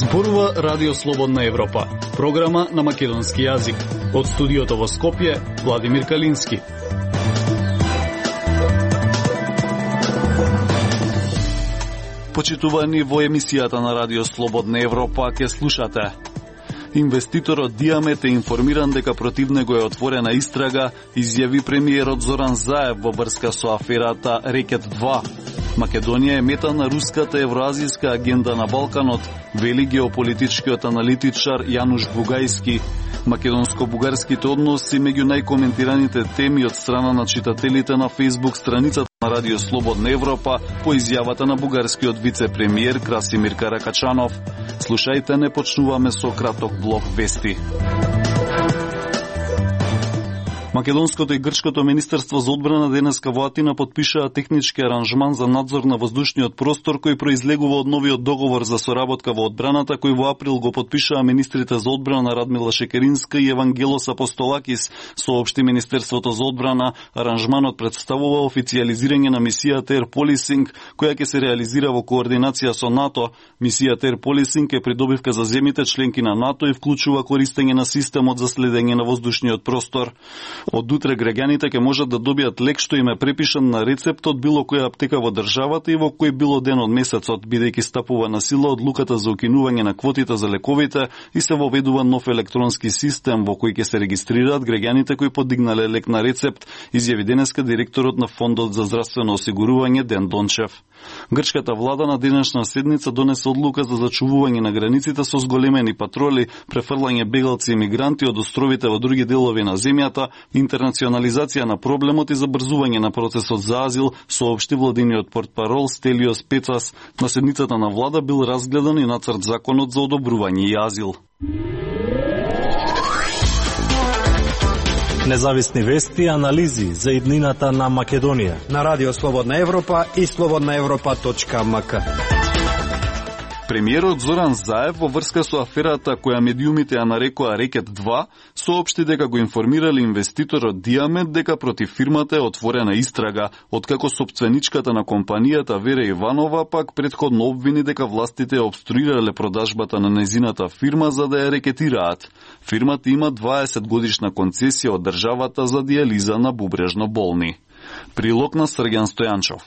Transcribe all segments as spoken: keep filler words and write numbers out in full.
Зборува Радио Слободна Европа, програма на македонски јазик. Од студиото во Скопје, Владимир Калински. Почитувани, во емисијата на Радио Слободна Европа ќе слушате. Инвеститорот Диамет е информиран дека против него е отворена истрага, изјави премиерот Зоран Заев во врска со аферата Рекет два. Македонија е мета на руската евроазијска агенда на Балканот, вели геополитичкиот аналитичар Јануш Бугајски. Македонско-бугарските односи меѓу најкоментираните теми од страна на читателите на Facebook страницата на Радио Слободна Европа по изјавата на бугарскиот вице-премиер Красимир Каракачанов. Слушајте, не почнуваме со краток блок вести. Македонското и Грчкото министерство за одбрана денеска во Атина потпишаа технички аранжман за надзор на воздушниот простор кој произлегува од новиот договор за соработка во одбраната кој во април го потпишаа министрите за одбрана Радмила Шекеринска и Евангелос Апостолакис, соопшти Министерството за одбрана. Аранжманот представува официјализирање на мисијата Air Policing, која ќе се реализира во координација со НАТО. Мисијата Air Policing е придобивка за земјите членки на НАТО и вклучува користење на системот за следење на воздушниот простор. Од утре граѓаните ќе можат да добијат лек што им е препишан на рецепт од било која аптека во државата и во кој било ден од месецот, бидејќи стапува на сила одлуката за укинување на квотите за лековите и се воведува нов електронски систем во кој ќе се регистрираат граѓаните кои подигнале лек на рецепт, изјави денеска директорот на Фондот за здравствено осигурување Ден Дончев. Грчката влада на денешна седница донесе одлука за зачувување на границите со зголемени патроли, префрлање бегалци и мигранти од островите во други делови на земјата, интернационализација на проблемот и забрзување на процесот за азил, соопшти владиниот портпарол Стелиос Пецас. На седницата на влада бил разгледан и нацрт законот за одобрување и азил. Независни вести и анализи за иднината на Македонија на Радио Слободна Европа и слободна европа точка ем ка. Премиерот Зоран Заев во врска со аферата која медиумите ја нарекоа Рекет два, соопшти дека го информирале инвеститорот Диамет дека против фирмата е отворена истрага, откако сопственичката на компанијата Вера Иванова пак претходно обвини дека властите ја обструирале продажбата на незината фирма за да ја рекетираат. Фирмата има дваесет годишна концесија од државата за дијализа на бубрежно болни. Прилог на Срѓан Стојанчов.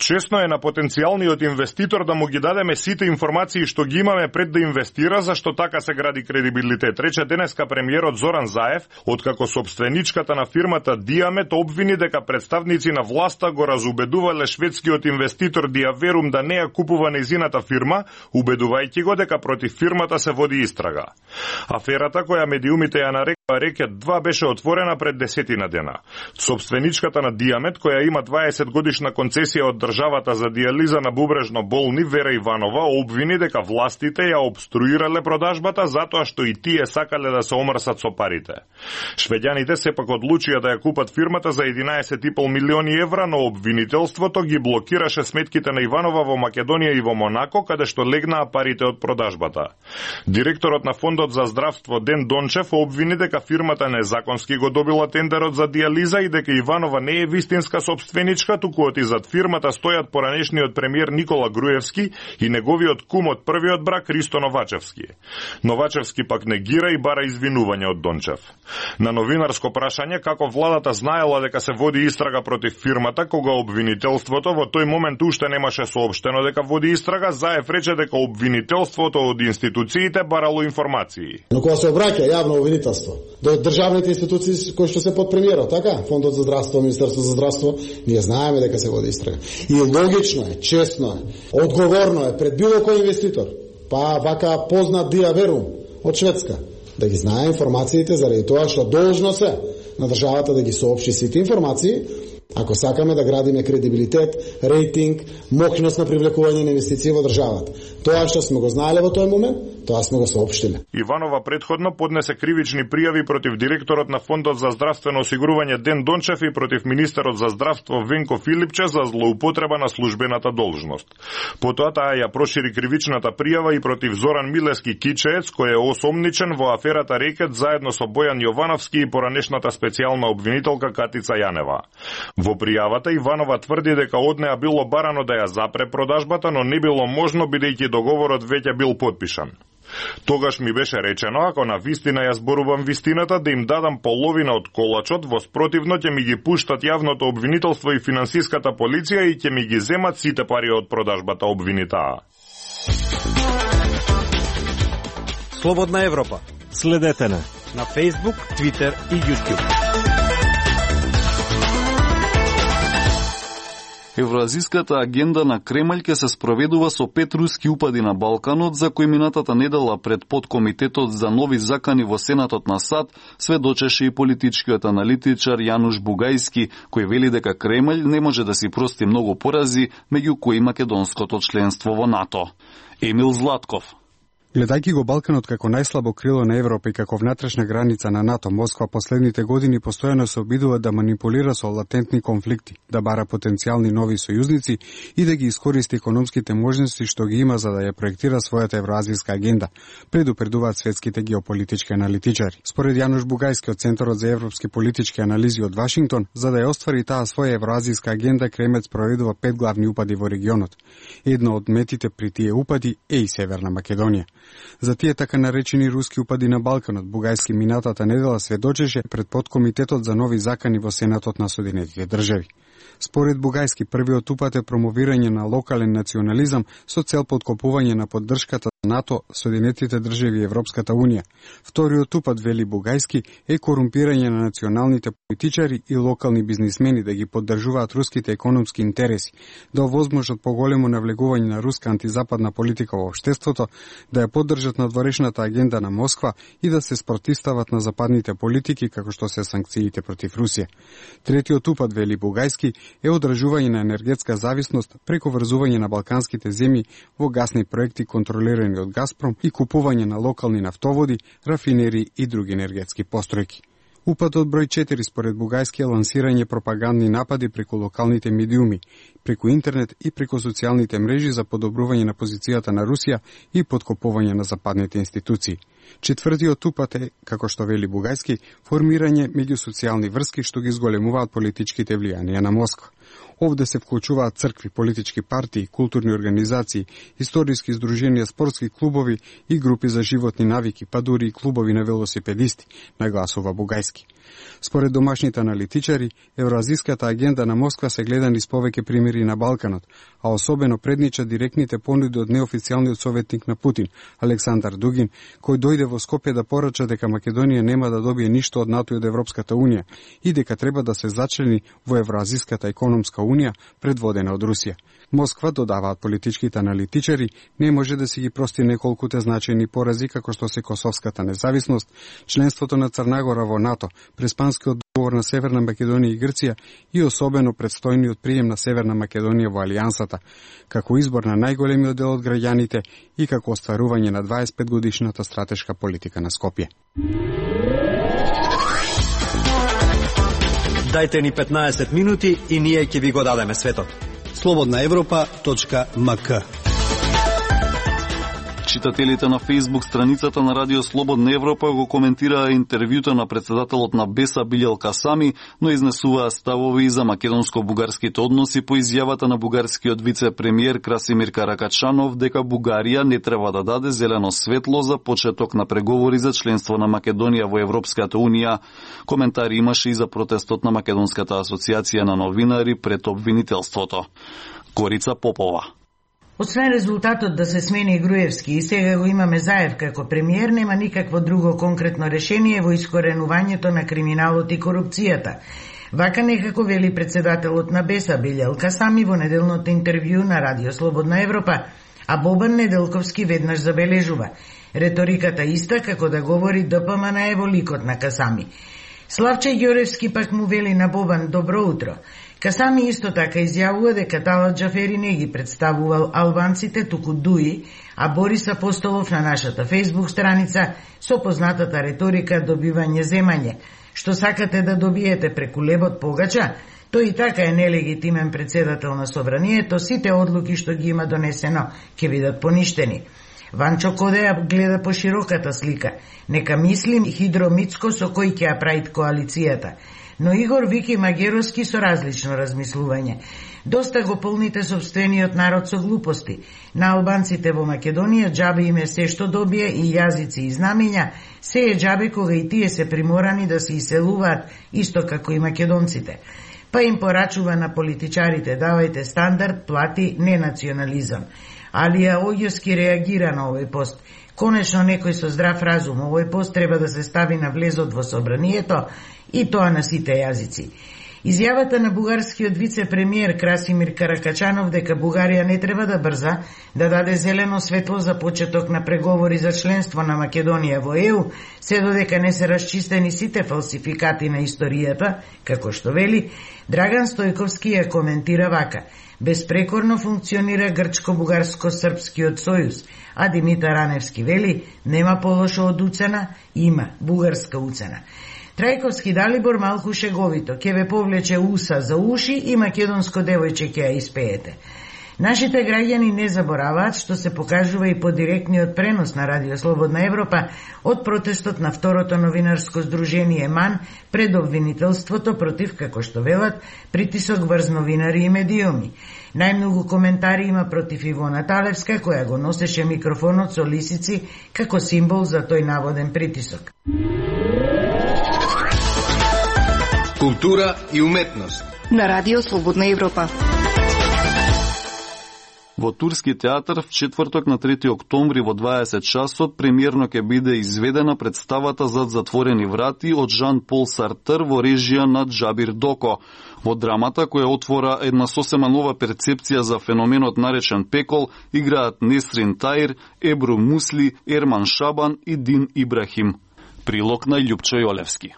Чесно е на потенцијалниот инвеститор да му ги дадеме сите информации што ги имаме пред да инвестира, зашто така се гради кредибилитет, рече денеска премиерот Зоран Заев, откако собственичката на фирмата Диамет обвини дека представници на власта го разубедувале шведскиот инвеститор Диаверум да не ја купува незината фирма, убедувајќи го дека против фирмата се води истрага. Аферата која медиумите ја нарекоа Рекет два беше отворена пред десетина дена. Собственичката на Диамет, која има дваесет годишна концесија од државата за дијализа на бубрежно болни Вера Иванова, обвини дека властите ја обструирале продажбата затоа што и тие сакале да се омрсат со парите. Швеѓаните сепак одлучија да ја купат фирмата за единаесет и пол милиони евра, но обвинителството ги блокираше сметките на Иванова во Македонија и во Монако, каде што легнаа парите од продажбата. Директорот на Фондот за здравство Ден Дончев обвини дека фирмата незаконски го добила тендерот за дијализа и дека Иванова не е вистинска собственичка, туку од изад фирмата стојат поранешниот премиер Никола Груевски и неговиот кум од првиот брак Ристо Новачевски. Новачевски пак негира и бара извинување од Дончев. На новинарско прашање како владата знаела дека се води истрага против фирмата, кога обвинителството во тој момент уште немаше соопштено дека води истрага, Заев рече дека обвинителството од институциите барало информации. Но кога се обраќа јавно обвинителство до државните институции кои што се под премиерот, така, Фондот за здравство, Министерство за здравство, ние знаеме дека се води истрага. И логично е, честно е, одговорно е пред било кој инвеститор, па вака познат Диаверум од Шведска, да ги знае информациите заради тоа што должно се на државата да ги соопшти сите информации, ако сакаме да градиме кредибилитет, рейтинг, мокност на привлекување на инвестиции во државата. Тоа што сме го знаеле во тој момент, тоа сме го соопштиле. Иванова претходно поднесе кривични пријави против директорот на Фондот за здравствено осигурување Ден Дончев и против министерот за здравство Венко Филипче за злоупотреба на службената должност. Потоа таа ја прошири кривичната пријава и против Зоран Милески Кичеец, кој е осомничен во аферата Рекет заедно со Бојан Јовановски и поранешната специјална обвинителка Катица Јанева. Во пријавата Иванова тврди дека од неа било барано да ја запре продажбата, но не било можно бидејќи договорот веќе бил потпишан. Тогаш ми беше речено, ако на вистина ја зборувам вистината, да им дадам половина од колачот, во спротивно ќе ми ги пуштат јавното обвинителство и финансиската полиција и ќе ми ги земат сите пари од продажбата обвинитаа. Слободна Европа. Следете на на Facebook, Twitter и YouTube. Евроазиската агенда на Кремљ ќе се спроведува со пет руски упади на Балканот, за кои минатата недела пред подкомитетот за нови закани во Сенатот на САД сведочеше и политичкиот аналитичар Јануш Бугајски, кој вели дека Кремљ не може да си прости многу порази, меѓу кои македонското членство во НАТО. Емил Златков. Гледајќи го Балканот како најслабо крило на Европа и како внатрешна граница на НАТО, Москва последните години постојано се обидува да манипулира со латентни конфликти, да бара потенцијални нови сојузници и да ги искористи економските можности што ги има за да ја проектира својата евроазијска агенда, предупредуваат светските геополитички аналитичари. Според Јануш Бугајски од Центарот за европски политички анализи од Вашингтон, за да ја оствари таа своја евроазијска агенда, Кремљ спроведува пет главни упади во регионот. Едно од метите при тие упади е и Северна Македонија. За тие така наречени руски упади на Балканот, Бугајски минатата недела сведочеше пред подкомитетот за нови закани во Сенатот на Соединетите држави. Според Бугајски, првиот упат е промовирање на локален национализам со цел подкопување на поддршката на НАТО, Соединетите држави и Европската унија. Вториот упат, вели Бугајски, е корумпирање на националните политичари и локални бизнисмени да ги поддржуваат руските економски интереси, да овозможат поголемо навлегување на руска антизападна политика во општеството, да ја поддржат надворешната агенда на Москва и да се спротивстават на западните политики како што се санкциите против Русија. Третиот упат, вели Бугајски, е одржување на енергетска зависност преку врзување на балканските земји во гасни проекти контролирани од Газпром и купување на локални нафтоводи, рафинери и други енергетски постројки. Упатот број четири според Бугајски е лансирање пропагандни напади преку локалните медиуми, преку интернет и преку социјалните мрежи за подобрување на позицијата на Русија и подкопување на западните институции. Четвртиот упат е, како што вели Бугајски, формирање меѓусоцијални врски што ги зголемуваат политичките влијанија на Москва. Овде се вклучуваат цркви, политички партии, културни организации, историски здруженија, спортски клубови и групи за животни навики, па дури и клубови на велосипедисти, нагласува Бугајски. Според домашните аналитичари, евроазиската агенда на Москва се гледа низ повеќе примери на Балканот, а особено преднича директните понуди од неофицијалниот советник на Путин, Александар Дугин, кој дојде во Скопје да порача дека Македонија нема да добие ништо од НАТО и од Европската унија и дека треба да се зачлени во Евроазиската економска унија предводена од Русија. Москва, додаваат политичките аналитичари, не може да си ги прости неколкуте значајни порази како што се косовската независност, членството на Црнагора во НАТО, преспанскиот договор на Северна Македонија и Грција и особено предстојниот прием на Северна Македонија во Алијансата, како избор на најголемиот дел од граѓаните и како остварување на дваесет и пет годишната стратешка политика на Скопје. Дајте ни петнаесет минути и ние ќе ви го дадеме светот. слободна европа точка ем ка. Читателите на Facebook страницата на Радио Слободна Европа го коментираа интервјуто на председателот на Беса Билјал Касами, но изнесуваа ставови за македонско-бугарските односи по изјавата на бугарскиот вице-премиер Красимир Каракачанов дека Бугарија не треба да даде зелено светло за почеток на преговори за членство на Македонија во Европската унија. Коментари имаше и за протестот на Македонската асоциација на новинари пред обвинителството. Корица Попова. Освен резултатот да се смени Груевски и сега го имаме Заев како премиер, нема никакво друго конкретно решение во искоренувањето на криминалот и корупцијата. Вака некако вели председателот на Беса Билјал Касами во неделното интервју на Радио Слободна Европа, а Бобан Неделковски веднаш забележува. Реториката иста како да говори ДПМН е во ликот на Касами. Славче Ѓоревски пак му вели на Бобан добро утро. Касами исто така изјавува дека Талат Џафери не ги представувал албанците, туку Дуи, а Борис Апостолов на нашата Facebook страница со познатата реторика добивање земање. Што сакате да добиете преку лебот погача, тој и така е нелегитимен председател на собранието, сите одлуки што ги има донесено ќе бидат поништени. Ванчо Кодеја гледа по широката слика. Нека мислим Хидромицко со кој ќе ја правит коалицијата. но Игор Вики Магеровски со различно размислување. Доста го полните сопствениот народ со глупости. На албанците во Македонија џабе им е се што добие и јазици и знамења, се е џабе кога и тие се приморани да се иселуваат исто како и македонците. Па им порачува на политичарите: давајте стандард, плати, не национализам. Алија Оѓоски реагира на овој пост. Конечно некој со здрав разум, овој пост треба да се стави на влезот во собранието и тоа на сите јазици. Изјавата на бугарскиот вице-премиер Красимир Каракачанов дека Бугарија не треба да брза да даде зелено светло за почеток на преговори за членство на Македонија во Е У, се додека не се расчистени сите фалсификати на историјата, како што вели, Драган Стојковски ја коментира вака: безпрекорно функционира грчко-бугарско-српскиот сојуз, а Димитар Раневски вели: нема полошо од уцена, има бугарска уцена. Трајковски Далибор малку шеговито: ќе ве повлече уса за уши и македонско девојче ќе ја испеете. Нашите граѓани не забораваат, што се покажува и по директниот пренос на Радио Слободна Европа од протестот на второто новинарско здружение МАН пред обвинителството против, како што велат, притисок врз новинари и медиуми. Најмногу коментари има против Ивона Талевска, која го носеше микрофонот со лисици како символ за тој наводен притисок. Култура и уметност на Радио Слободна Европа. Во Турски театар в четврток на трети октомври во дваесет часот премиерно ќе биде изведена представата Зад затворени врати од Жан-Пол Сартр во режија на Џабир Доко. Во драмата, која отвора една сосема нова перцепција за феноменот наречен пекол, играат Несрин Таир, Ебру Мусли, Ерман Шабан и Дин Ибрахим. Прилог на Љупчо Јолевски.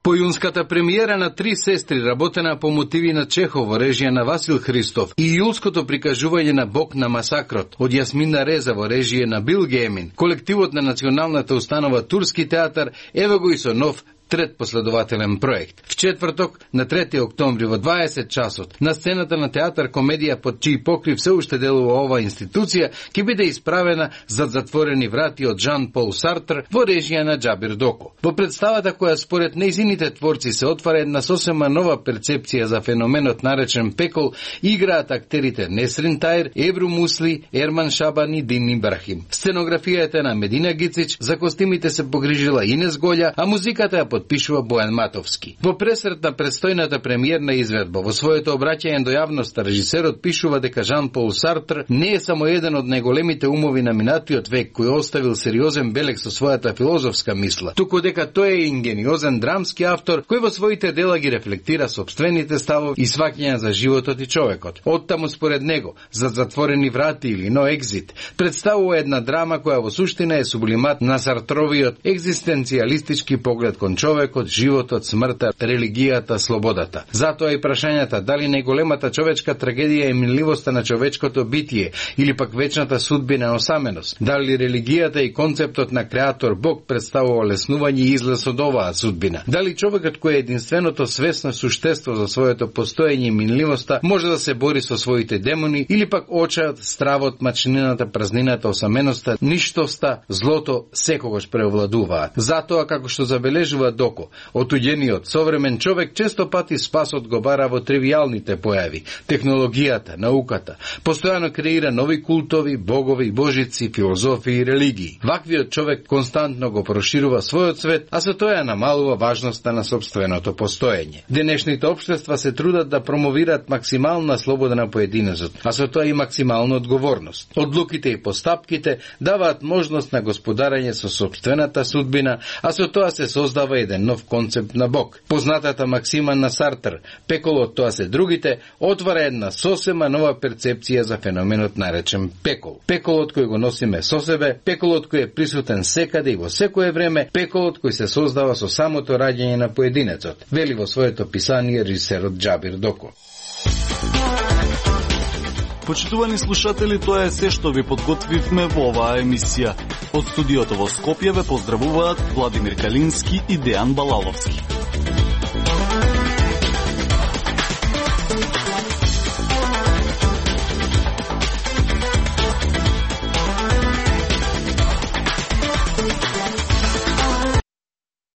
Појунската премиера на Три сестри, работена по мотиви на Чехов во режија на Васил Христов, и јулското прикажување на Бог на масакрот од Јасмина Реза во режија на Бил Геймин, колективот на националната установа Турски театар, ево го и со нов трет последователен проект. В четврток, на трети октомври во дваесет часот, на сцената на театар комедија под чиј покрив се уште делува ова институција, ќе биде исправена Зад затворени врати од Жан-Пол Сартр во режија на Џабир Доко. Во представата која според нејзините творци се отвара една сосема нова перцепција за феноменот наречен пекол, играат актерите Несрин Таир, Ебру Мусли, Ерман Шабан и Дин Ибрахим. Сценографијата на Медина Гицич, за костимите се погрижила Инес Голја, а музиката ја подпишува Бојан Матовски. Во пресрет на предстојната премиерна изведба, во своето обраќање до јавноста, режисерот пишува дека Жан-Пол Сартр не е само еден од најголемите умови на минатиот век кој оставил сериозен белег со својата филозофска мисла, туку дека тој е ингениозен драмски автор кој во своите дела ги рефлектира сопствените ставови и сваќања за животот и човекот. Оттаму според него, Зад затворени врати или No Exit представува една драма која во суштина е сублимат на Сартровиот екзистенцијалистички поглед кон човекот, животот, смртта, религијата, слободата. Затоа и прашањата дали најголемата човечка трагедија е минливоста на човечкото битие или пак вечната судбина осаменост, дали религијата и концептот на креатор Бог представува леснување и излез од оваа судбина, дали човекот кој е единственото свесно суштество за своето постоење и минливоста може да се бори со своите демони или пак очајот, стравот, мачнината, празнината, осаменоста, ништоста, злото секогаш превладуваат. Затоа, како што забележува Доко, отуѓениот современ човек често пати спасот го бара во тривијалните појави, технологијата, науката, постојано креира нови култови, богови, божици, филозофии и религии. Ваквиот човек константно го проширува својот свет, а со тоа намалува важноста на собственото постоење. Денешните општества се трудат да промовираат максимална слобода на поединецот, а со тоа и максимална одговорност. Одлуките и постапките даваат можност на господарање со собствената судбина, а со тоа се создава еден нов концепт на Бог. Познатата максима на Сартр, пеколот тоа се другите, отвара една сосема нова перцепција за феноменот наречен пекол. Пеколот кој го носиме со себе, пеколот кој е присутен секаде и во секое време, пеколот кој се создава со самото раѓање на поединецот, вели во своето писание режисерот Џабир Доко. Почитувани слушатели, тоа е се што ви подготвивме во оваа емисија. Од студиото во Скопје ве поздравуваат Владимир Калински и Дејан Балаловски.